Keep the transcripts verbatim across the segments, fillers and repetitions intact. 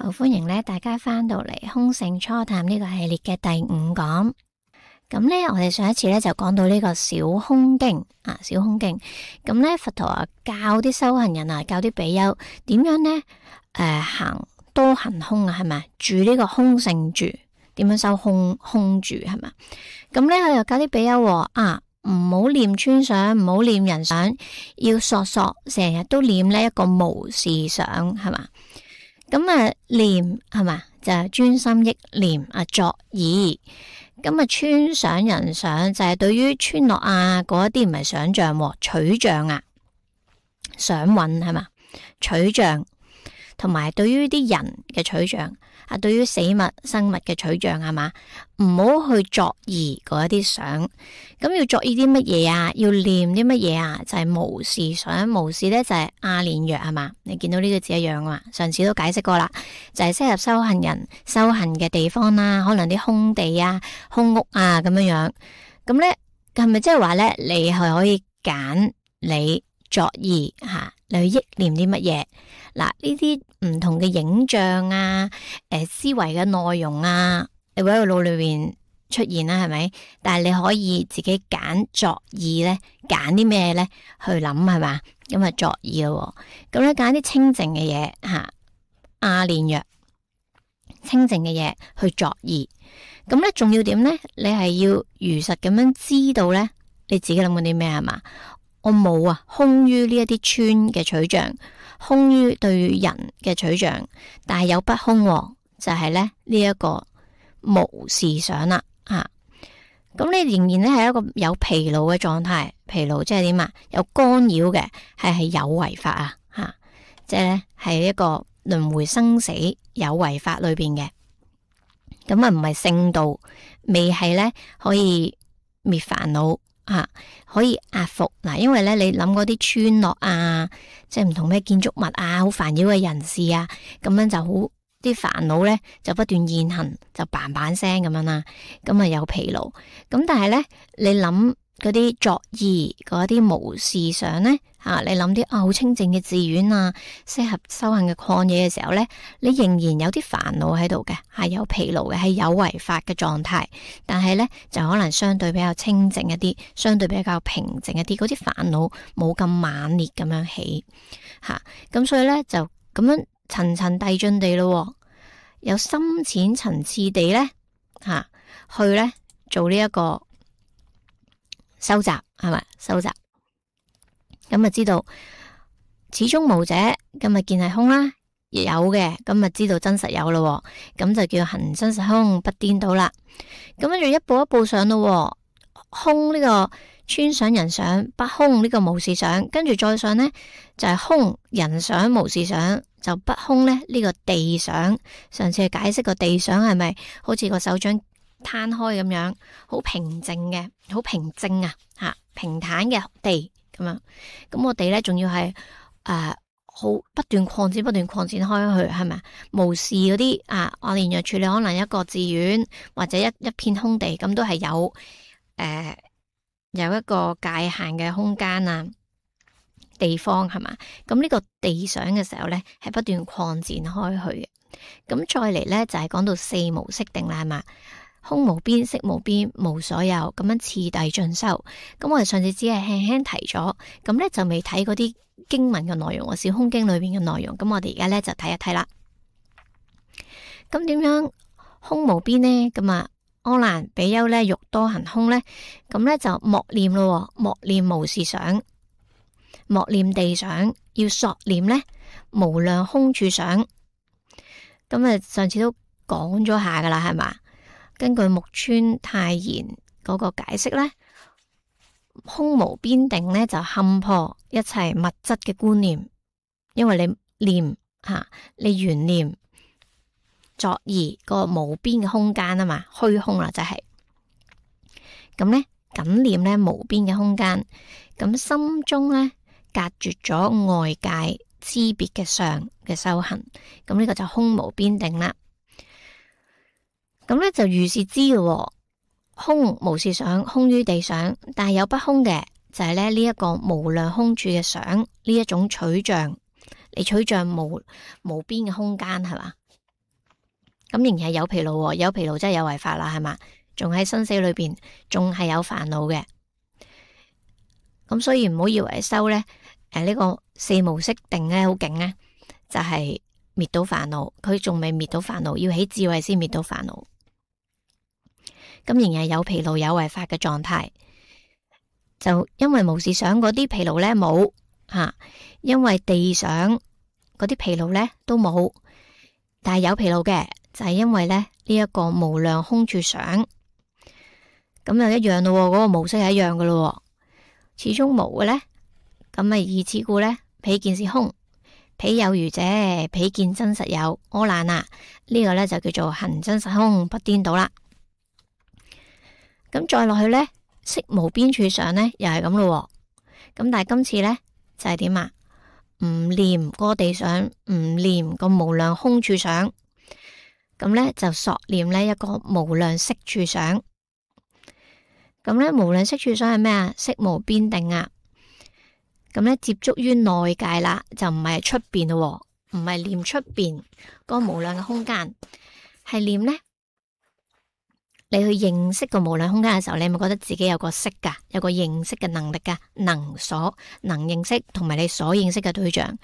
好歡迎咧大家翻到嚟空性初探呢個系列嘅第五講。咁咧，我哋上一次咧就講到呢個小空經啊，小空經。咁咧，佛陀啊教啲修行人啊，教啲比丘點樣咧，誒、呃、行多行空啊，係咪住呢個空性住？點樣修空空住係咪？咁咧，佢又教啲比丘啊，唔好念村相，唔好念人相，要索索成日都念呢一個無事想，係嘛？咁啊念係嘛，就係專心憶念啊作意。咁啊村想人想就係對於村落啊嗰一啲唔係想象，取象啊，想蘊係嘛，取象，同埋對於啲人嘅取象啊，對於死物生物嘅取象係嘛，唔好去作意嗰一啲想。咁要作意啲乜嘢啊？要念啲乜嘢啊？就係、是、無事想，無事咧就係阿連若係嘛？你見到呢個字一樣啊嘛？上次都解釋過啦，就係、是、適合修行人修行嘅地方啦，可能啲空地啊、空屋啊咁樣樣。咁咧係咪即係話咧，你係可以揀你作意吓，你去憶念啲乜嘢？嗱，呢啲唔同嘅影像啊，誒、呃、思維嘅內容啊，你會喺個腦裏邊出現啦，係咪？但係你可以自己揀作意咧，揀啲咩咧去諗係嘛？咁啊作意咯，咁咧揀啲清淨嘅嘢吓，阿連若清淨嘅嘢去作意。咁咧仲要點咧？你係要如實咁樣知道咧，你自己諗緊啲咩係嘛？我冇啊，空於呢一啲村嘅取象，空於對人嘅取象，但係有不空，就係咧呢一個無事想啦。啊，咁你仍然咧係一個有疲勞嘅狀態，疲勞即係點啊？有干擾嘅，係係有為法啊，吓，即係咧係一個輪迴生死有為法裏邊嘅，咁啊唔係聖道，未係咧可以滅煩惱吓，可以壓服嗱，因為咧你諗嗰啲村落啊，即係唔同咩建築物啊，好煩擾嘅人士啊，咁樣就好。啲煩惱咧就不斷現行，就嘭嘭聲咁樣啦，咁啊有疲勞。咁但係咧，你諗嗰啲作意嗰啲無事想咧吓、啊，你諗啲啊好清淨嘅寺院啊，適合修行嘅曠野嘅時候咧，你仍然有啲煩惱喺度嘅，係有疲勞嘅，係有為法嘅狀態。但係咧就可能相對比較清淨一啲，相對比較平靜一啲，嗰啲煩惱冇咁猛烈咁樣起吓。咁、啊、所以咧就咁樣。層層遞進地咯，有深淺層次地咧吓、啊，去咧做呢一個收集係咪？收集咁啊，知道始終無者，今日見係空啦，亦有嘅，咁啊知道真實有咯，咁就叫行真實空不顛倒啦。咁跟住一步一步上咯，空呢個村想人想，不空呢個無事想，跟住再上呢，就係、是、空人想無事想。就不空咧，呢、這個地想，上次解釋個地想係咪好似個手掌攤開咁樣，好平靜嘅，好平靜啊，吓平坦嘅地咁樣。咁個地咧，仲要係誒好不斷擴展，不斷擴展開去，係咪？無事嗰啲啊，我連若處理可能一個寺院或者一一片空地，咁都係有誒、呃、有一個界限嘅空間啊。地方係嘛？咁呢個地想嘅時候咧，係不斷擴展開去嘅。咁再嚟咧就係、是、講到四無色定啦，係嘛？空無邊，色無邊，無所有，咁樣次第進修。咁我哋上次只係輕輕提咗，咁咧就未睇嗰啲經文嘅內容，小空經裏邊嘅內容。咁我哋而家咧就睇一睇啦。咁點樣空無邊呢？咁啊，阿難比丘咧欲多行空咧，咁咧就莫念咯，莫念無事想。莫念地想，要索念咧無量空處想。咁啊，上次都講咗下噶啦，係嘛？根據木村泰賢嗰個解釋咧，空無邊定咧就勘破一切物質嘅觀念，因為你念吓、啊，你緣念作意個無邊嘅空間啊嘛，虛空啦就係、是。咁咧僅念咧無邊嘅空間，咁心中咧。隔絕咗外界知別嘅相嘅修行，咁呢個就空無邊定啦。咁咧就如是知嘅，空無事想，空於地想，但係有不空嘅，就係咧呢一個無量空處嘅想，呢一種取象，你取象無無邊嘅空間係嘛？咁仍然係有疲勞，有疲勞真係有為法啦，係嘛？仲喺生死裏邊，仲係有煩惱嘅。咁所以唔好以為修咧，誒、呃、呢、這個四無色定咧好勁咧，就係滅到煩惱，佢仲未滅到煩惱，要起智慧先滅到煩惱。咁仍然係有疲勞有為法嘅狀態，就因為無事想嗰啲疲勞咧冇吓，因為地想嗰啲疲勞咧都冇，但係有疲勞嘅就係、是、因為咧呢一、這個無量空處想，咁又一樣咯，嗰、那個模式係一樣噶咯。始終無嘅咧，咁咪以此故咧，彼見是空，彼有餘者，彼見真實有，阿難啊，呢、這個咧就叫做行真實空，不顛倒啦。咁再落去咧，識無邊處想咧，又係咁咯。咁但係今次咧就係點啊？唔念個地想，唔念個無量空處想，咁咧就索念呢一個無量識處想。咁咧無量識處想係咩啊？識無邊定啊！咁咧接觸於內界啦，就唔係出邊咯，唔係念出邊個無量嘅空間，係念咧你去認識個無量空間嘅時候，你咪覺得自己有個識噶，有個認識嘅能力噶，能所能認識同埋你所認識嘅對象。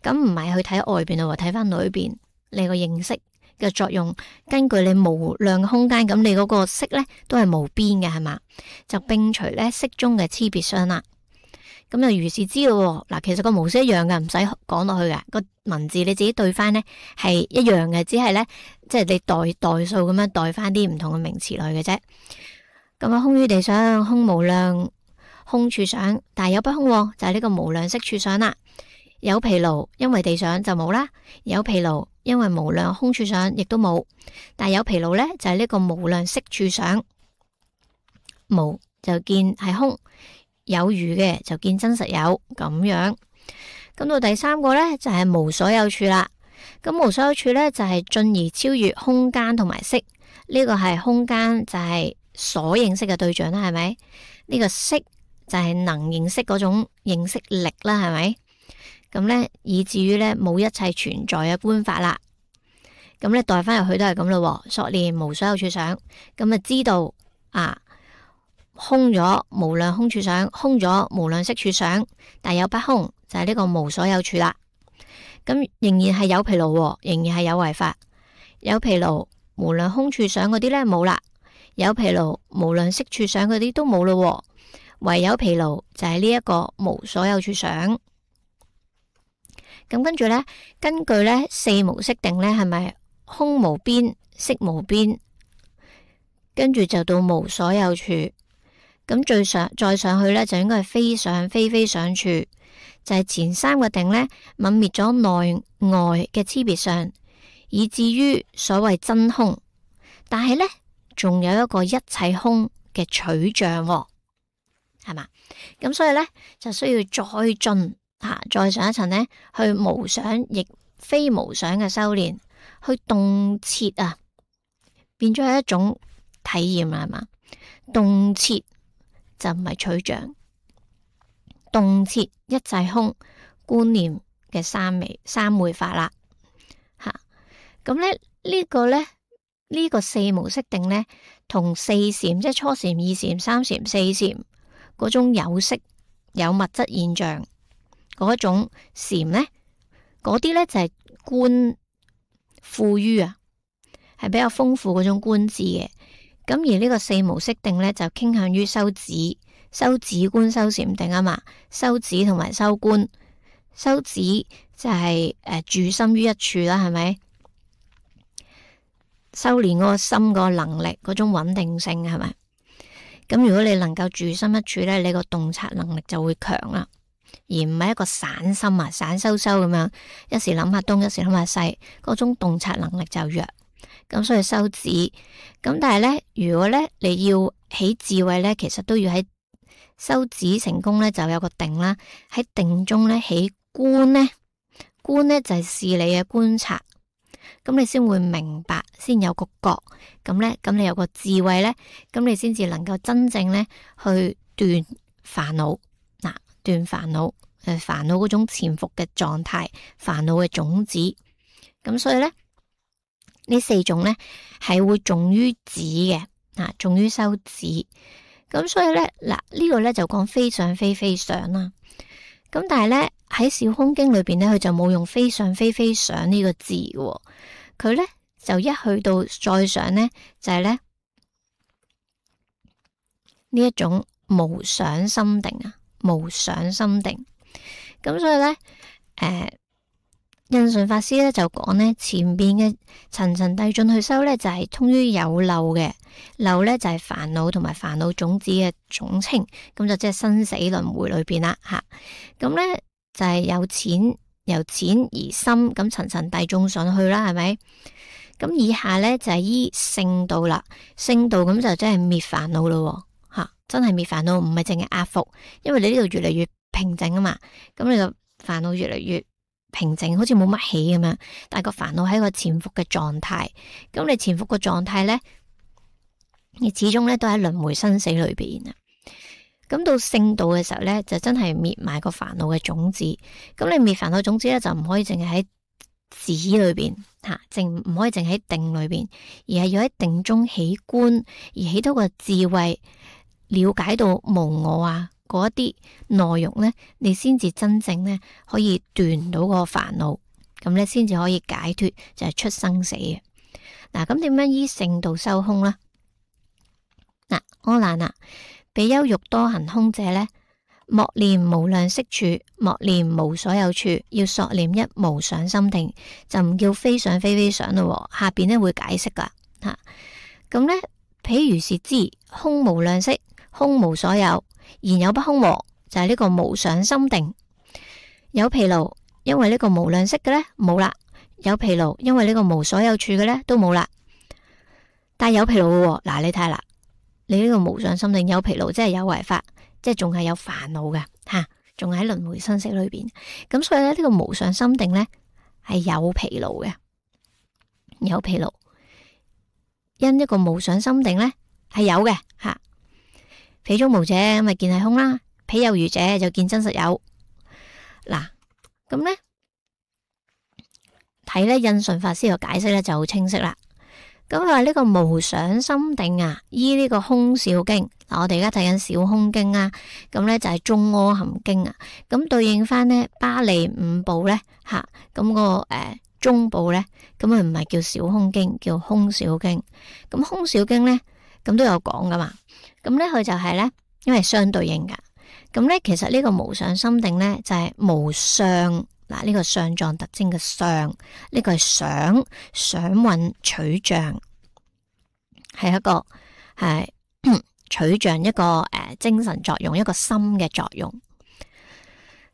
咁唔係去睇外邊咯，睇翻裏邊你個認識嘅作用，根據你無量嘅空間，咁你嗰個識咧都係無邊嘅，係嘛？就摒除咧識中嘅差別相啦。咁就如是知咯。嗱，其實個模式一樣嘅，唔使講落去嘅，個文字你自己對翻咧係一樣嘅，只係咧即係你代代數咁樣代翻啲唔同嘅名詞落去嘅啫。咁啊，空於地想，空無量空處想，但係有不空，就係呢個無量識處想啦。有疲勞，因為地想就冇啦；有疲勞，因為無量空處想亦都冇。但係有疲勞咧，就係呢個無量識處想，無就見係空，有餘嘅就見真實有咁樣。咁到第三個咧就係無所有處啦。咁無所有處咧就係進而超越空間同埋識。呢個係空間就係所認識嘅對象啦，係咪？呢個識就係能認識嗰種認識力啦，係咪？咁咧以至於咧冇一切存在嘅觀法啦。咁咧代翻入去都係咁咯。索念無所有處想，咁啊知道啊空咗無量空處想，空咗無量識處想，但有不空，就係呢個無所有處啦。咁仍然係有疲勞，仍然係有為法。有疲勞無量空處想嗰啲咧冇啦，有疲勞無量識處想嗰啲都冇咯，唯有疲勞就係呢一個無所有處想。咁跟住咧，根據咧四無色定咧，係咪空無邊、識無邊，跟住就到無所有處。咁最上再上去咧，就應該係非想非非想處，就係、是、前三個定咧，泯滅咗內外嘅差別相，以至於所謂真空。但係咧，仲有一個一切空嘅取像，係嘛？咁所以咧，就需要再進。啊、再上一層呢，去無想亦非無想嘅修煉，去洞徹啊，變咗係一種體驗啦，係嘛？洞徹就唔係取像，洞徹一切空觀念嘅三昧三昧法啦。吓、啊，咁咧呢、這個咧呢、這個四無色定咧，同四禪即係初禪、二禪、三禪、四禪嗰種有色有物質現象。嗰一種禪咧，嗰啲咧就係觀富於啊，係比較豐富嗰種觀智嘅。咁而呢個四無色定咧，就傾向於修止、修止觀、修禪定啊嘛。修止同埋修觀，修止就係、是、誒、呃、住心於一處啦，係咪？修煉嗰個心嗰個能力，嗰種穩定性係咪？咁如果你能夠住心一處咧，你個洞察能力就會強啦。而唔係一個散心啊，散修修咁樣，一時諗下東，一時諗下西，嗰種洞察能力就弱。咁所以修止，咁但係咧，如果咧你要起智慧咧，其實都要喺修止成功咧，就有個定啦。喺定中咧起觀咧，觀咧就係視你嘅觀察，咁你先會明白，先有個覺。咁咧，咁你有個智慧咧，咁你先至能夠真正咧去斷煩惱。斷煩惱，誒，煩惱嗰種潛伏嘅狀態，煩惱嘅種子。咁所以咧，呢四種咧係會重於止嘅，啊，重於修止。咁所以咧嗱，呢個咧就講非想非非想啦。咁但係咧喺小空經裏邊咧，佢就冇用非想非非想呢個字喎，佢咧就一去到再想咧就係咧呢一種無想心定啊，無想心定。咁所以咧，誒、呃，印順法師咧就講咧，前邊嘅層層遞進去修咧就係、是、通於有漏嘅，漏咧就係煩惱同埋煩惱種子嘅總稱，咁就即係生死輪迴裏邊啦吓。咁咧就係、是、有淺由淺而深，咁層層遞進上去啦，係咪？咁以下咧就係、是、依聖道啦，聖道咁就真係滅煩惱咯吓，真係滅煩惱，唔係淨係壓伏，因為你呢度越嚟越平靜啊嘛，咁你就煩惱越嚟越平靜，好似冇乜起咁樣，但係個煩惱喺個潛伏嘅狀態，咁你潛伏個狀態咧，你始終咧都喺輪迴生死裏邊啊。咁到聖道嘅時候咧，就真係滅埋個煩惱嘅種子。咁你滅煩惱種子咧，就唔可以淨係喺止裏邊吓，淨唔可以淨喺定裏邊，而係要喺定中起觀，而起到個智慧，了解到無我啊。嗰一啲內容咧，你先至真正咧可以斷到個煩惱，咁咧先至可以解脫，就係、是、出生死嘅。嗱，咁點樣依聖道修空咧？嗱，阿難啊，比丘欲多行空者咧，莫念無量色處，莫念無所有處，要索念一無想心定，就唔叫非想非非想咯。下邊咧會解釋噶吓，咁咧譬如是知空無量色，空無所有。然有不空和，就係、是、呢個無想心定。有疲勞，因為呢個無量色嘅咧冇啦；有疲勞，因為呢個無所有處嘅咧都冇啦。但係有疲勞嘅，嗱你睇下啦，你呢個無想心定有疲勞，即係有為法，即係仲係有煩惱嘅吓，仲喺輪迴生死裏邊。咁所以咧呢、這個無想心定咧係有疲勞嘅，有疲勞。因一個無想心定咧係有嘅吓。彼中無者咁咪見係空啦，彼有餘者就見真實有。嗱，咁咧睇咧印順法師嘅解釋咧就好清晰啦。咁佢話呢個無想心定啊，依呢個空少經。嗱，我哋而家睇緊小空經啊，咁咧就係中阿含經啊。咁對應翻呢巴利五部咧吓，咁、那個誒、呃、中部咧，咁佢唔係叫小空經，叫空少經。咁空少經咧，咁都有講噶嘛。咁咧佢就係咧，因為相對應噶。咁咧其實呢個無想心定咧就係、是、無相。嗱，呢個相狀特徵嘅相，呢、這個係想想蘊取象，係一個係取象一個誒、呃、精神作用，一個心嘅作用。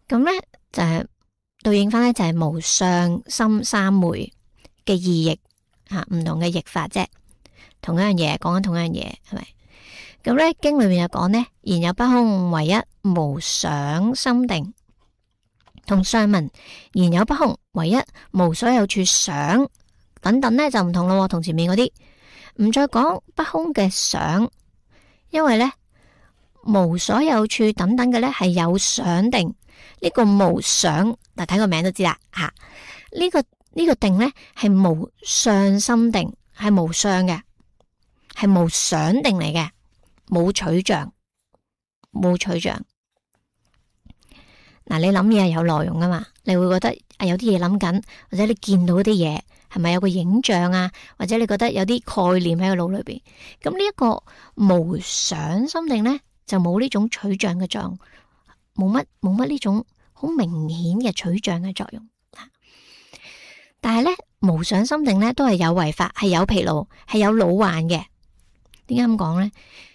咁咧就係、是、對應翻咧就係、是、無相心三昧嘅意譯吓，唔同嘅譯法啫，同一樣嘢講緊同一樣嘢係咪？咁咧經裏面就講呢，然有不空，唯一無想心定。同上文然有不空，唯一無所有處想等等咧就唔同咯，同前面嗰啲唔再講不空嘅想，因為咧無所有處等等嘅咧係有想定，呢、這個無想嗱睇個名都知啦吓，呢、這個呢、這個定咧係無相心定，係無相嘅，係無想定嚟嘅。冇取象，冇取象。嗱，你諗嘢係有內容噶嘛？你會覺得啊，有啲嘢諗緊，或者你見到啲嘢係咪有個影像啊？或者你覺得有啲概念喺個腦裏邊？咁呢一個無想心定咧，就冇呢種取象嘅作用，冇乜冇乜呢種好明顯嘅取象嘅作用。但係咧，無想心定咧都係有為法，係有疲勞，係有老患嘅。點解咁講咧？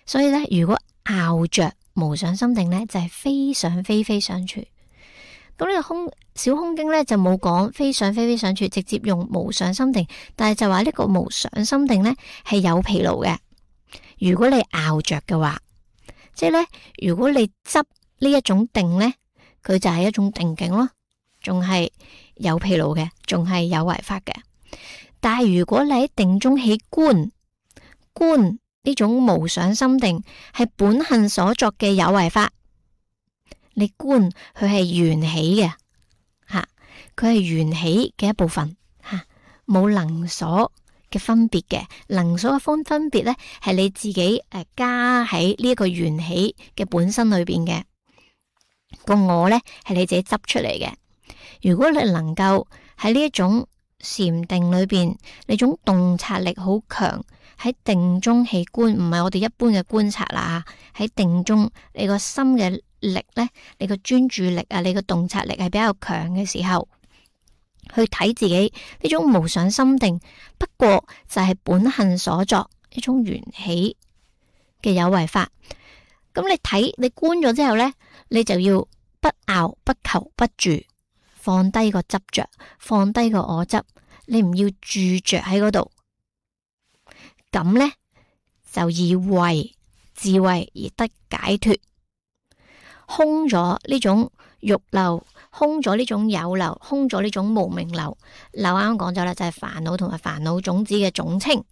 所以咧，如果拗着無想心定咧，就係、是、非想非非想處。咁呢個空小空經咧就冇講非想非非想處，直接用無想心定。但係就話呢個無想心定咧係有疲勞嘅。如果你拗着嘅話，即係咧，如果你執呢一種定咧，佢就係一種定境咯，仲係有疲勞嘅，仲係有為法嘅。但係如果你喺定中起觀，觀。呢種無想心定係本行所作嘅有為法，你觀佢係緣起嘅吓，佢係緣起嘅一部分吓，冇能所嘅分別嘅，能數嘅分分別咧係你自己誒加喺呢一個緣起嘅本身裏邊嘅，個我咧係你自己執出嚟嘅。如果你能夠喺呢一種禪定裏邊，你種洞察力好強，喺定中起觀，唔係我哋一般嘅觀察啦。喺定中，你個心嘅力咧，你個專注力啊，你個洞察力係比較強嘅時候，去睇自己呢種無想心定，不過就係本性所作一種緣起嘅有為法。咁你睇你觀咗之後咧，你就要不拗不求不住。放低個執着，放低個我執，你唔要住着喺嗰度，咁呢，就以慧智慧而得解脫，空咗呢種欲流，空咗呢種有流，空咗呢種無明流。流啱啱講咗啦，就係煩惱同埋煩惱種子嘅總稱，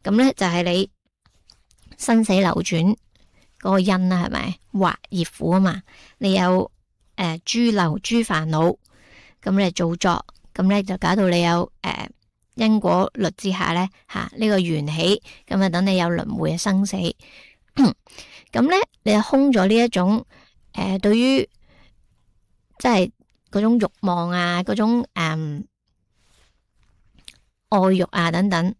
咁呢，就係你生死流轉嗰個因啦，係咪？惑業苦啊嘛，你有誒諸流諸煩惱。咁你造作，咁咧就搞到你有誒、呃、因果律之下咧吓呢、這個緣起，咁啊等你有輪迴嘅生死。咁咧你就空咗呢一種誒、呃、對於即係嗰種慾望啊，嗰種誒、呃、愛慾啊等等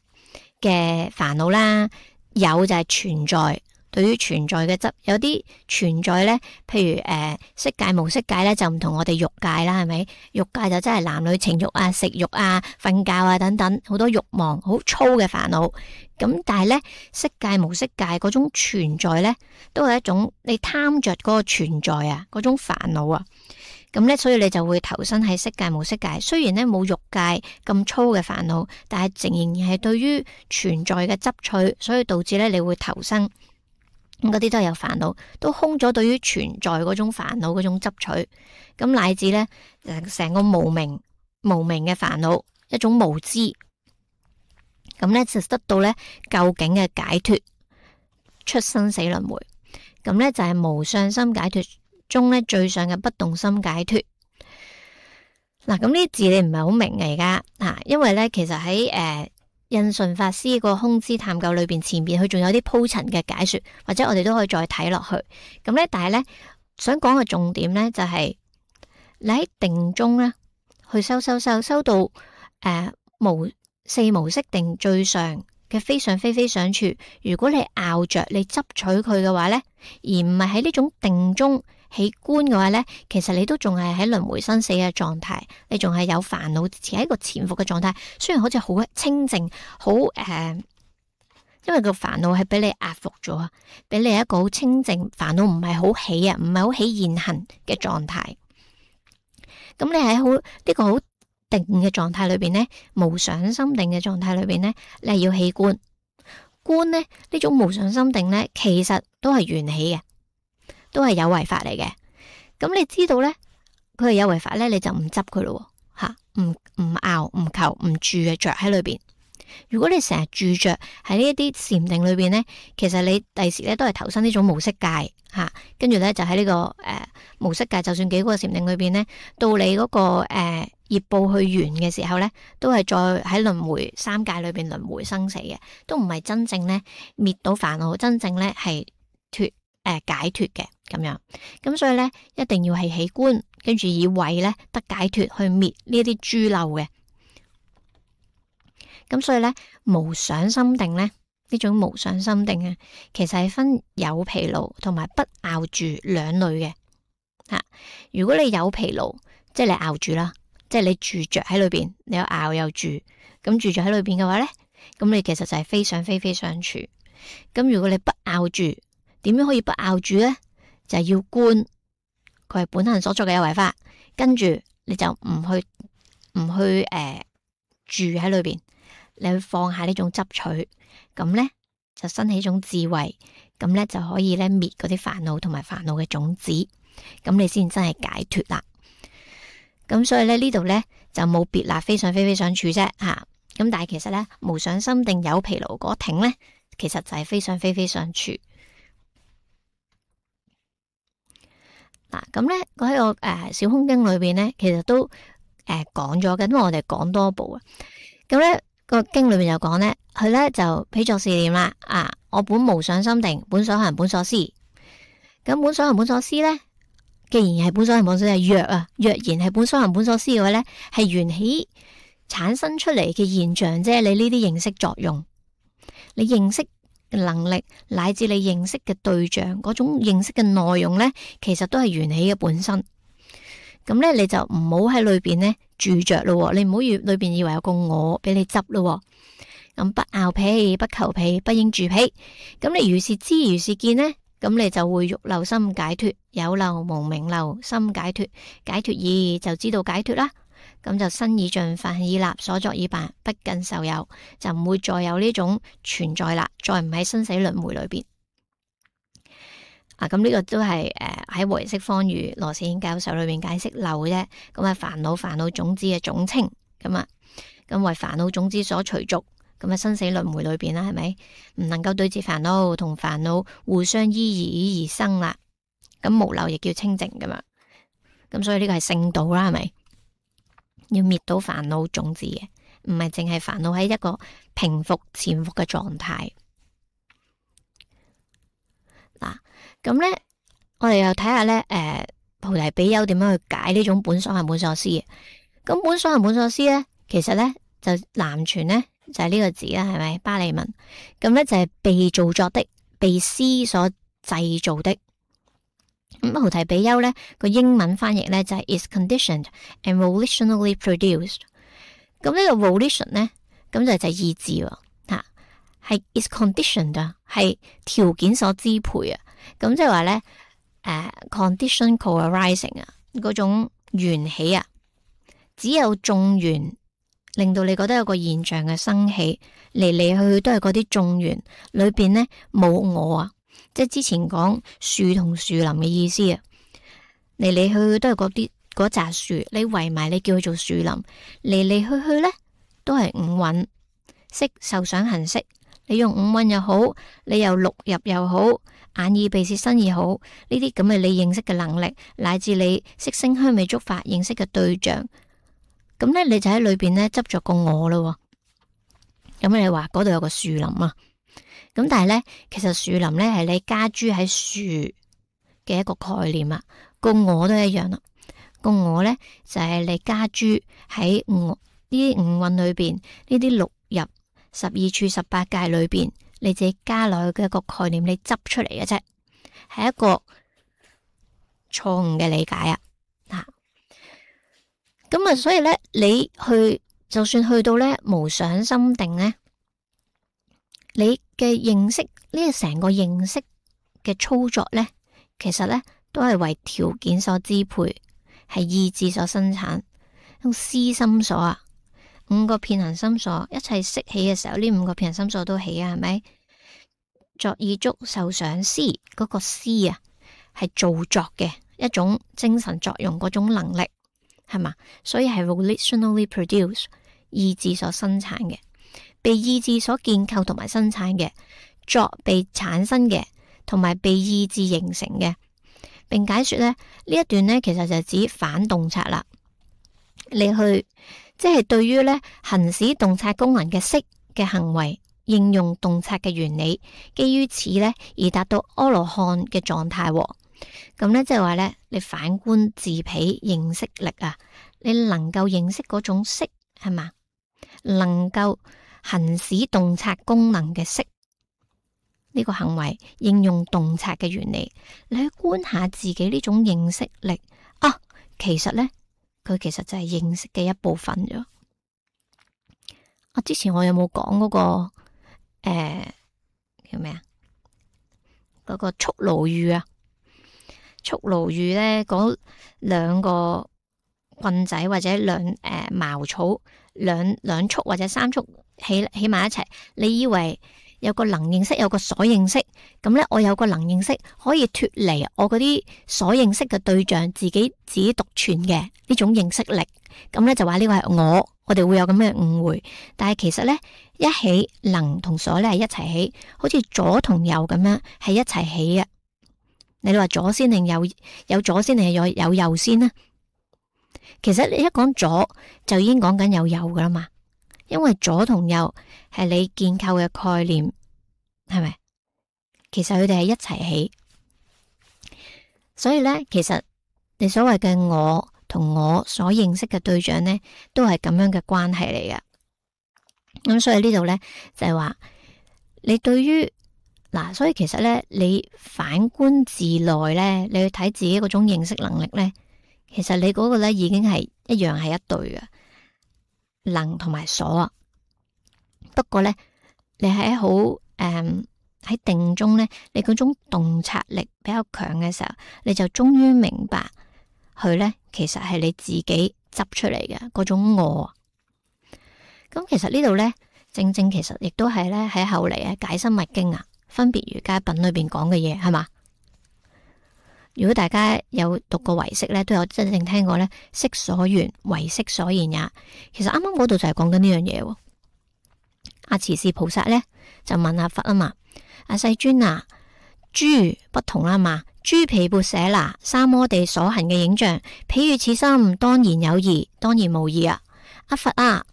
嘅煩惱啦，有就係存在。對於存在嘅執，有啲存在咧，譬如誒色界無色界咧，就唔同我哋欲界啦，係咪？欲界就真係男女情欲啊、食欲啊、瞓覺啊等等，好多欲望，好粗嘅煩惱。咁但係咧，色界無色界嗰種存在咧，都係一種你貪着嗰個存在啊，嗰種煩惱啊。咁咧，所以你就會投身喺色界無色界。雖然咧冇欲界咁粗嘅煩惱，但係仍然係對於存在嘅執取，所以導致咧你會投身。咁嗰啲都係有煩惱，都空咗對於存在嗰種煩惱嗰種執取，咁乃至咧誒成個無明無明嘅煩惱，一種無知，咁咧就得到咧究竟嘅解脫，出生死輪迴，咁咧就係無相心解脫中咧最上嘅不動心解脫。嗱，咁呢啲字你唔係好明嘅而家吓，因為咧其實喺誒。呃印順法師個空知探究裏邊，前邊佢仲有啲鋪陳嘅解說，或者我哋都可以再睇落去。咁咧，但係咧想講嘅重點咧就係、是、你喺定中咧去修修修修到誒、呃、無四無色定最上嘅非想非非想處。如果你拗着你執取佢嘅話咧，而唔係喺呢種定中起觀嘅話咧，其實你都仲係喺輪迴生死嘅狀態，你仲係有煩惱，持喺一個潛伏嘅狀態。雖然好似好清靜，好誒、呃，因為個煩惱係俾你壓服咗啊，俾你一個好清靜，煩惱唔係好起啊，唔係好起現行嘅狀態。咁你喺好呢個好定嘅狀態裏邊咧，無想心定嘅狀態裏邊咧，你係要起觀。觀咧呢種無想心定咧，其實都係緣起嘅。都係有為法嚟嘅，咁你知道咧，佢係有為法咧，你就唔執佢咯，吓，唔唔拗唔求唔住嘅着喺裏邊。如果你成日住着喺呢一啲禪定裏邊咧，其實你第時咧都係投身呢種無色界吓，跟住咧就喺呢、這個誒、呃、無色界，就算幾個禪定裏邊咧，到你嗰、那個誒、呃、業報去完嘅時候咧，都係再喺輪迴三界裏邊輪迴生死嘅，都唔係真正咧滅到煩惱，真正咧係脫。誒、呃，解脫嘅咁樣，咁所以咧，一定要係起觀，跟住以慧咧得解脫去滅呢一啲諸漏嘅。咁所以咧，無想心定咧，呢種無想心定啊，其實係分有疲勞同埋不拗住兩類嘅吓。如果你有疲勞，即係你拗住啦，即係你住着喺裏邊，你有拗又住，咁住着喺裏邊嘅話咧，咁你其實就係非想非非想處。咁如果你不拗住，點樣可以不拗住咧？就係、是、要觀，佢係本行所作嘅有為法，跟住你就唔去唔去誒、呃、住喺裏邊，你去放下呢種執取，咁咧就生起一種智慧，咁咧就可以咧滅嗰啲煩惱同埋煩惱嘅種子，咁你先真係解脫啦。咁所以咧呢度咧就冇別啦，非想非非想處啫吓。咁、啊、但係其實咧無想心定有疲勞嗰挺咧，其實就係非想非非想處。嗱，咁咧，喺個誒小空經裏邊咧，其實都誒講咗嘅，因為我哋講多部啊。咁咧，個經裏面就講咧，佢咧就俾作試驗啦。啊，我本無想心定，本所行本所思。咁本所行本所思咧，既然係本所行本所思，係若啊，若然係本所行本所思嘅話咧，係緣起產生出嚟嘅現象啫。你呢啲認識作用，你認識嘅能力，乃至你認識嘅對象嗰種認識嘅內容咧，其實都係緣起嘅本身。咁咧，你就唔好喺裏邊咧住着咯，你唔好以裏邊以為有個我俾你執咯。咁不拗屁，不求屁，不應住屁。咁你如是知，如是見呢，咁你就會欲漏心解脫，有漏無明漏心解脫，解脫意就知道解脫啦。咁就身已盡，法已立，所作已辦，不更受有，就唔會再有呢種存在啦，再唔喺生死輪迴裏邊。啊，咁呢個都係誒喺唯識方喻羅士軒教授裏面解釋漏啫。咁啊，煩惱煩惱種子嘅總稱，咁啊，咁為煩惱種子所隨逐，咁啊生死輪迴裏邊啦，係咪唔能夠對治煩惱，同煩惱互相依而而生啦？咁無漏亦叫清淨噶嘛？咁所以呢個係聖道啦，係咪要滅到煩惱種子嘅？唔係淨係煩惱喺一個平伏潛伏嘅狀態。嗱，咁咧，我哋又睇下咧，誒、呃，菩提比丘點樣去解呢種本所行本所思嘅？咁本所行本所思咧，其實咧就南傳咧就係、是、呢個字啦，係咪巴利文？咁咧就係、是、被造作的，被思所製造的。咁菩提比丘咧個英文翻譯咧就係、是、is conditioned and volitionally produced。咁呢個 volition 咧，咁就就係意志喎。係 is conditioned 啊，係條件所支配啊，咁即係話咧，誒、呃、condition co-arising 啊，嗰種緣起啊，只有眾緣令到你覺得有個現象嘅生起，嚟嚟去去都係嗰啲眾緣裏邊咧冇我啊，即係之前講樹同樹林嘅意思啊，嚟嚟去去都係嗰啲嗰扎樹，你圍埋你叫佢做樹林，嚟嚟去去咧都係五蘊色受想行識。你用五蘊又好，你又六入又好，眼耳鼻舌身意好，呢啲咁嘅你認識嘅能力，乃至你色聲香味觸法認識嘅對象，咁咧你就喺裏邊咧執着個我咯。咁你話嗰度有個樹林啊，咁但係咧其實樹林咧係你加諸喺樹嘅一個概念啊，個我都一樣啦。個我咧就係、是、你加諸喺我呢啲五蘊裏邊呢啲六入。十二處十八界裏邊，你自己加落去嘅一個概念，你執出嚟嘅啫，係一個錯誤嘅理解啊！吓，咁啊，所以咧，你去就算去到咧無想心定咧，你嘅認識呢個成個認識嘅操作咧，其實咧都係為條件所支配，係意志所生產，用思心所啊。五個遍行心所一齊識起嘅時候，呢五個遍行心所都起啊，係咪？作意觸受想思嗰個思啊，係造作嘅一種精神作用嗰種能力，係嘛？所以係 volitionally produced 意志所生產嘅，被意志所建構同埋生產嘅，作被產生嘅，同埋被意志形成嘅，並解說咧呢一段咧，其實就係指反洞察啦，你去。即係對於咧行使洞察功能嘅識嘅行為，應用洞察嘅原理，基於此咧而達到阿羅漢嘅狀態。咁咧即係話咧，你反觀自彼認識力啊，你能夠認識嗰種識係嘛，能夠行使洞察功能嘅識呢個行為，應用洞察嘅原理，你去觀下自己呢種認識力啊，其實咧。佢其實就係認識嘅一部分咗。啊，之前我有冇講嗰個誒、呃、叫咩啊？嗰、嗰個束盧喻啊，束盧喻咧，嗰兩個棍仔或者兩誒、呃、茅草，兩兩束或者三束起起埋一齊，你以為有個能認識，有個所認識，咁咧我有個能認識可以脫離我嗰啲所認識嘅對象，自己自己獨存嘅呢種認識力，咁咧就話呢個係我，我哋會有咁嘅誤會。但係其實咧，一起能同所咧係一齊起，好似左同右咁樣係一齊起嘅。你話左先定右？有左先定係有有右先呢？其實你一講左就已經講緊有右噶啦嘛，因為左同右係你建構嘅概念，係咪？其實佢哋係一齊起，所以咧，其實你所謂嘅我同我所認識嘅對象咧，都係咁樣嘅關係嚟嘅。咁所以呢度咧就係話，你對於嗱，所以其實咧，你反觀自內咧，你去睇自己嗰種認識能力咧，其實你嗰個咧已經係一樣係一對嘅能同埋所啊。不過咧，你喺好誒喺定中咧，你嗰種洞察力比較強嘅時候，你就終於明白佢咧，其實係你自己執出嚟嘅嗰種我。咁其實呢度咧，正正其實亦都係咧喺後嚟啊解深密經啊分別瑜伽品裏邊講嘅嘢，係嘛？如果大家有讀過唯識咧，都有真正聽過咧，識所緣唯識所言也。其實啱啱嗰度就係講緊呢樣嘢。阿持氏菩薩咧就問阿佛啊嘛，阿世尊啊，諸不同啦嘛，諸毗缽舍那三摩地所行嘅影像，譬如此心，當然有異，當然無異啊。阿佛啊，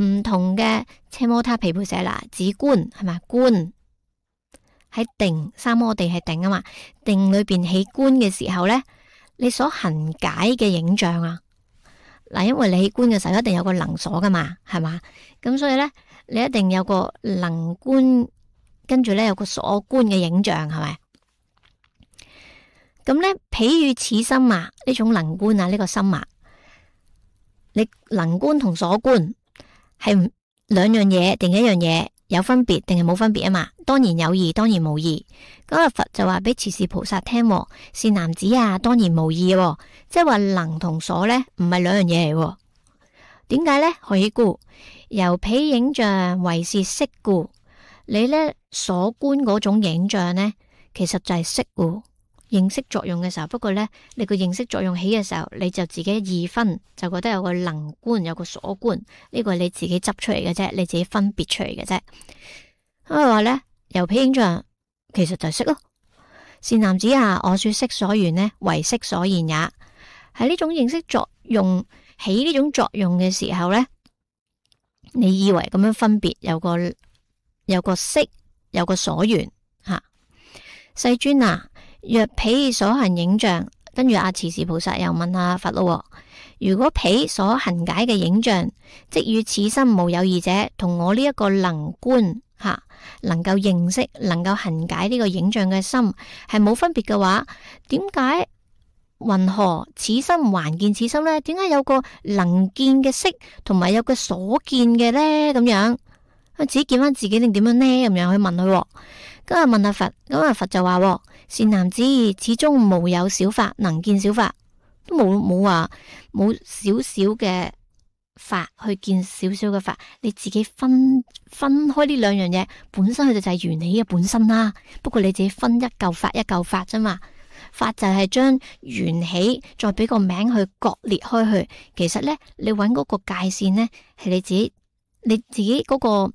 唔同嘅奢摩他毗缽舍那指觀係咪？觀喺定三摩地係定啊嘛，定裏邊起觀嘅時候咧，你所行解嘅影像啊，嗱，因為你起觀嘅時候一定有個能所噶嘛，係嘛？咁所以咧，你一定有個能觀，跟住咧有個所觀嘅影像，係咪？咁咧，譬如此心啊，呢種能觀啊，呢個心啊，你能觀同所觀係兩樣嘢定一樣嘢？有分別定係冇分別啊嘛？當然有異，當然無異。咁阿佛就話俾持氏菩薩聽，善男子啊，當然無異嘅，即係話能同所咧唔係兩樣嘢嚟。點解咧？何以故？由彼影像為是色故。你咧所觀嗰種影像咧，其實就係色故。認識作用嘅時候，不過咧，你個認識作用起嘅時候，你就自己二分，就覺得有個能觀，有個所觀，呢個係你自己執出嚟嘅啫，你自己分別出嚟嘅啫。咁佢話咧，由彼影像其實就係色咯。善男子啊，我說色所緣呢，為色所言也。喺呢種認識作用起呢種作用嘅時候咧，你以為咁樣分別有個有個色，有個所緣吓。世尊啊，若彼所行影像，跟住阿持氏菩薩又問下佛咯，如果彼所行解嘅影像，即與此心無有異者，同我呢一個能觀吓，能夠認識、能夠行解呢個影像嘅心係冇分別嘅話，點解云何此心還見此心呢？點解有個能見嘅色，同埋有個所見嘅呢？咁樣自己見翻自己定點樣呢？咁樣去問佢，咁啊問阿佛，咁阿佛就話：善男子，始終無有小法能見小法，都冇冇話冇少少嘅法去見少少嘅法，你自己分分開呢兩樣嘢，本身佢就就係緣起嘅本身啦。不過你自己分一嚿法一嚿法啫嘛，法就係將緣起再俾個名去割裂開去。其實咧，你揾嗰個界線咧，係你自己你自己嗰個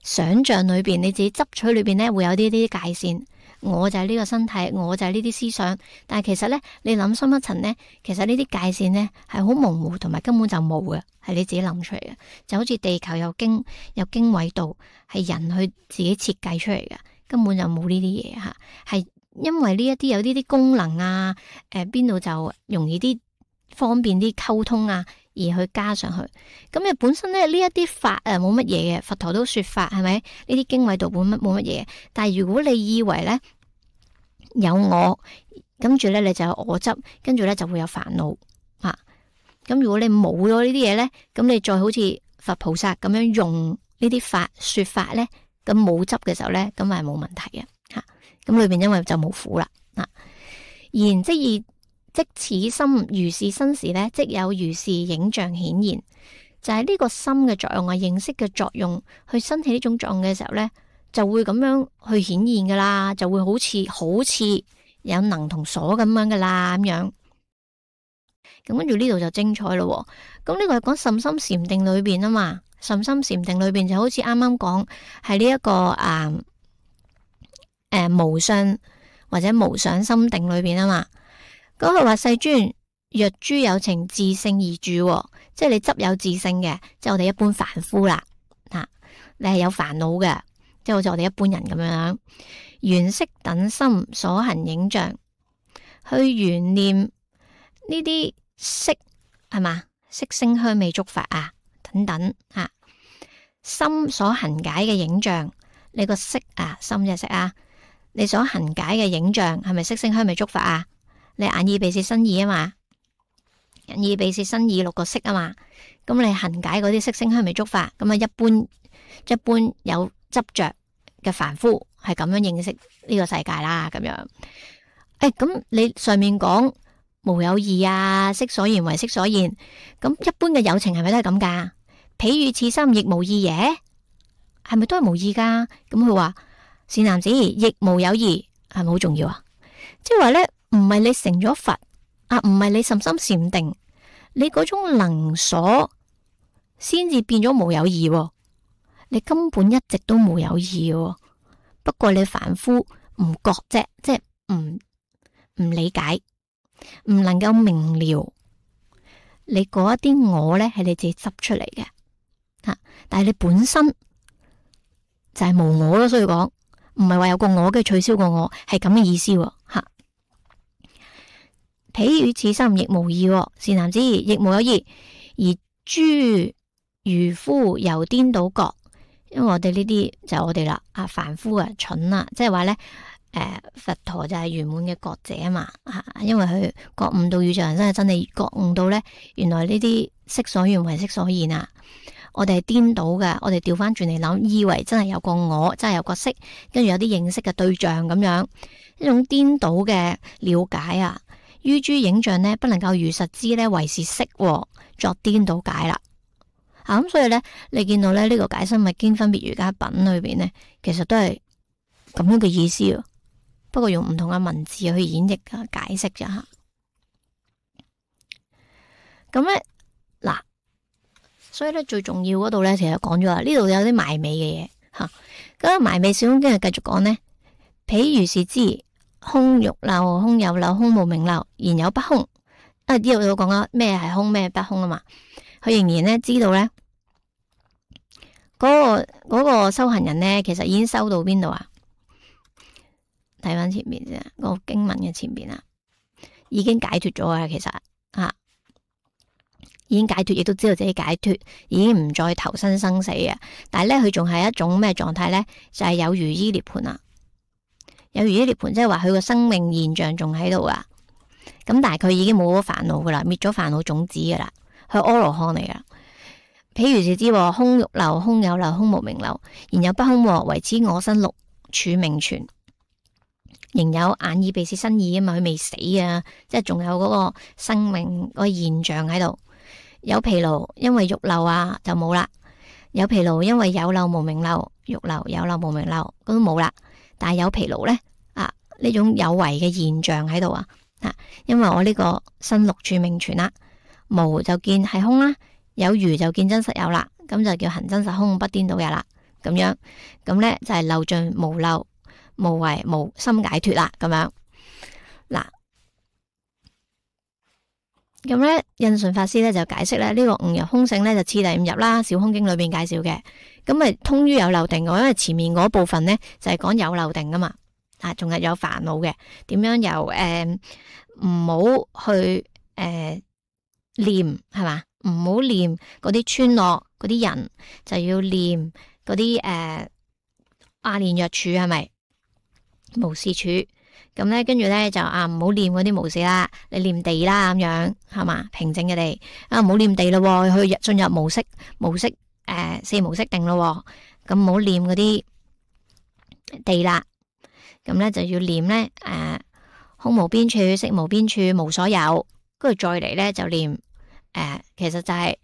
想象裏邊，你自己執取裏邊咧會有呢啲界線。我就係呢個身體，我就係呢啲思想，但係其實咧，你諗深一層咧，其實呢啲界線咧係好模糊，同埋根本就冇嘅，係你自己諗出嚟嘅。就好似地球有經有經緯度，係人去自己設計出嚟嘅，根本就冇呢啲嘢吓。係因為呢一啲有呢啲功能啊，誒邊度就容易啲方便啲溝通啊，而去加上去。咁你本身咧呢一啲法誒冇乜嘢嘅，佛陀都說法係咪？呢啲經緯度本乜冇乜嘢，但係如果你以為咧有我，跟住咧你就有我執，跟住咧就會有煩惱吓。咁、啊、如果你冇咗呢啲嘢咧，咁你再好似佛菩薩咁樣用呢啲法說法咧，咁冇執嘅時候咧，咁係冇問題嘅吓。咁、啊、裏邊因為就冇苦啦啊。然即以即此心如是生時咧，即有如是影像顯現，就係、是、呢個心嘅作用啊，認識嘅作用去生起呢種作用嘅時候咧，就會咁樣去顯現噶啦，就會好似好似有能同所咁樣噶啦咁樣。咁跟住呢度就精彩咯。咁呢個係講甚深禪定裏邊啊嘛，甚深禪定裏邊就好似啱啱講係呢一個誒誒、啊啊、無相或者無想心定裏邊啊嘛。咁佢話世尊，若諸有情自性而住，即係你執有自性嘅，即係我哋一般凡夫啦。你係有煩惱嘅，即係好似我哋一般人咁樣，緣色等心所行影像，去緣念呢啲色係嘛，色聲香味觸法啊等等啊，心所行解嘅影像，你個色啊，心嘅色啊，你所行解嘅影像係咪色聲香味觸法啊？你眼耳鼻舌身意啊嘛，眼耳鼻舌身意六個色啊嘛，咁你行解嗰啲色聲香味觸法，咁啊一般一般有執着嘅凡夫係咁樣認識呢個世界啦，咁樣。誒，咁你上面講無有義啊，色所現為色所現，咁一般嘅有情係咪都係咁噶？譬如此心亦無義耶，係咪都係無義噶？咁佢話善男子亦無有義，係咪好重要啊？即係話咧，唔係你成咗佛啊，唔係你甚深禪定，你嗰種能所先至變咗無有義喎，你根本一直都無有義喎，不過你凡夫唔覺啫，即係唔唔理解，唔能夠明了，你嗰一啲我咧係你自己執出嚟嘅吓，但係你本身就係無我咯，所以講唔係話有個我嘅取消個我，係咁嘅意思吓。譬如此心亦無義，善男子亦無有義，而諸愚夫由顛倒覺，因為我哋呢啲就係我哋啦，啊凡夫啊蠢啊，即係話咧。誒、呃，佛陀就係圓滿嘅覺者啊嘛，吓，因為佢覺悟到宇宙人生嘅真理，覺悟到咧，原來呢啲色所緣為色所現啊，我哋係顛倒嘅，我哋調翻轉嚟諗，以為真係有個我，真係有個色，跟住有啲認識嘅對象咁樣，一種顛倒嘅了解啊，於諸影像呢，不能夠如實知呢為是色，作顛倒解啦。啊，咁所以咧，你見到咧呢、這個解深密經分別瑜伽品裏邊呢，其實都係咁樣嘅意思啊。不過用唔同嘅文字去演繹啊，解釋啫吓。咁咧嗱，所以咧最重要嗰度咧，其實講咗啦，呢度有啲埋尾嘅嘢吓。咁埋尾小空經係繼續講呢，譬如是知空欲漏，空有漏，空無明漏，然有不空。啊，呢度有講咗咩係空，咩不空啊嘛。佢仍然咧知道咧，嗰、嗰個、嗰個修行人咧，其實已經修到邊度啊？睇翻前面先，嗰個經文嘅前邊啊，已經解脫咗啊！其實啊，已經解脫，亦都知道自己解脫，已經唔再投生生死啊！但係咧，佢仲係一種咩狀態咧？就係、是、有餘依涅盤啊！有餘依涅盤，即係話佢個生命現象仲喺度啊！咁但係佢已經冇咗煩惱噶啦，滅咗煩惱種子噶啦，佢阿羅漢嚟噶。譬如是知空欲漏，空有漏，空無明漏，然有不空，唯此我身六處名存。仍有眼耳鼻舌身意啊嘛，佢未死啊，即係仲有嗰個生命嗰個現象喺度。有疲勞，因為欲漏啊就冇啦。有疲勞，因為有漏無明漏，欲漏有漏無明漏，咁都冇啦。但係有疲勞咧啊，呢種有為嘅現象喺度啊，啊，因為我呢個身六處名存啦，無就見係空啦，有餘就見真實有啦，咁就叫行真實空不顛倒嘅啦。咁樣咁咧就係漏盡無漏。無為無心解脫啦，咁樣嗱，咁咧印順法師咧就解釋咧呢、這個悟入空性咧就次第悟入啦，小空經裏邊介紹嘅，咁咪通於有漏定嘅，因為前面嗰部分咧就係、是、講有漏定噶嘛，啊，仲係有煩惱嘅，點樣由誒唔好去誒、呃、念係嘛，唔好念嗰啲村落嗰啲人，就要念嗰啲誒阿練若處係咪？無事處，咁咧，跟住咧就啊唔好念嗰啲無事啦，你念地啦咁樣係嘛，平靜嘅地啊，唔好念地咯，去進入無色無色誒、呃、四無色定咯，咁唔好念嗰啲地啦，咁咧就要念咧誒、呃、空無邊處，色無邊處，無所有，跟住再嚟咧就念誒、呃，其實就係、是。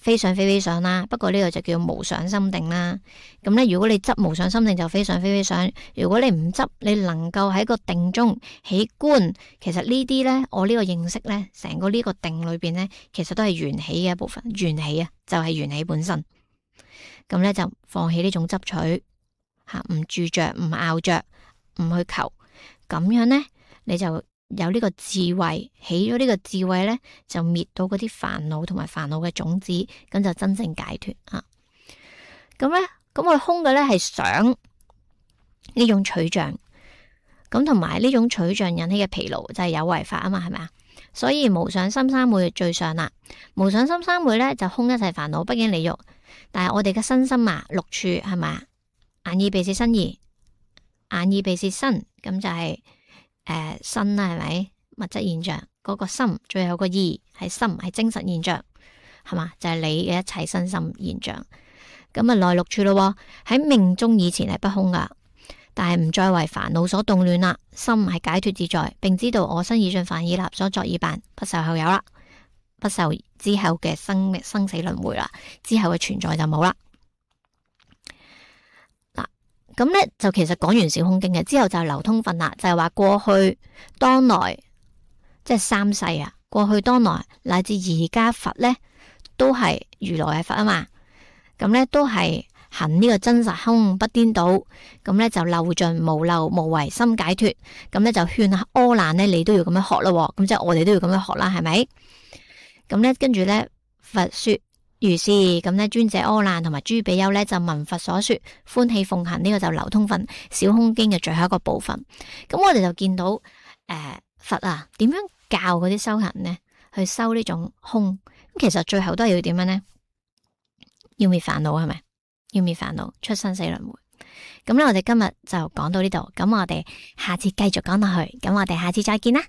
非想非非想啦，不過呢個就叫無想心定啦。咁咧，如果你執無想心定就非想非非想；如果你唔執，你能夠喺個定中起觀，其實呢啲咧，我呢個認識咧，成個呢個定裏邊咧，其實都係緣起嘅一部分。緣起啊，就係緣起本身。咁咧就放棄呢種執取，吓唔住着，唔拗着，唔去求，咁樣咧你就。有呢個智慧，起咗呢個智慧咧，就滅到嗰啲煩惱同埋煩惱嘅種子，咁就真正解脫啊！咁咧咁佢空嘅咧係想呢種取象，咁同埋呢種取象引起嘅疲勞就係有為法啊嘛，係咪啊？所以無想心三昧最上啦。無想心三昧咧就空一切煩惱，不境理欲。但係我哋嘅身心啊，六處係咪啊？眼耳鼻舌身意，眼耳鼻舌身，咁就係、是、誒、呃、身啦，係咪物質現象？嗰、那個心，最後個意係心，係精神現象，係嘛？就係、是、你嘅一切身心現象。咁啊，內六處咯，喺命終以前係不空噶。但係唔再為煩惱所動亂啦，心係解脫自在，並知道我身已盡，凡已立，所作已辦，不受後有啦，不受之後嘅生生死輪迴啦，之後嘅存在就冇啦。嗱，咁咧就其實講完小空經嘅之後就係流通分啦，就係、是、話過去當來即係三世啊，過去當來乃至而家佛咧都係如來係佛啊嘛，咁咧都係。行呢個真實空不顛倒，咁咧就漏盡無漏無為心解脫，咁咧就勸下阿難咧，你都要咁樣學咯，咁即係我哋都要咁樣學啦，係咪？咁咧跟住咧佛說如是，咁咧尊者阿難同埋諸比丘咧就聞佛所說，歡喜奉行，呢、這個就流通分小空經嘅最後一個部分。咁我哋就見到誒、呃、佛啊點樣教嗰啲修行呢？去修呢種空，咁其實最後都係要點樣呢？要滅煩惱係咪？要滅煩惱，出生死輪迴。咁咧，我哋今日就講到呢度，咁我哋下次繼續講落去，咁我哋下次再見啦。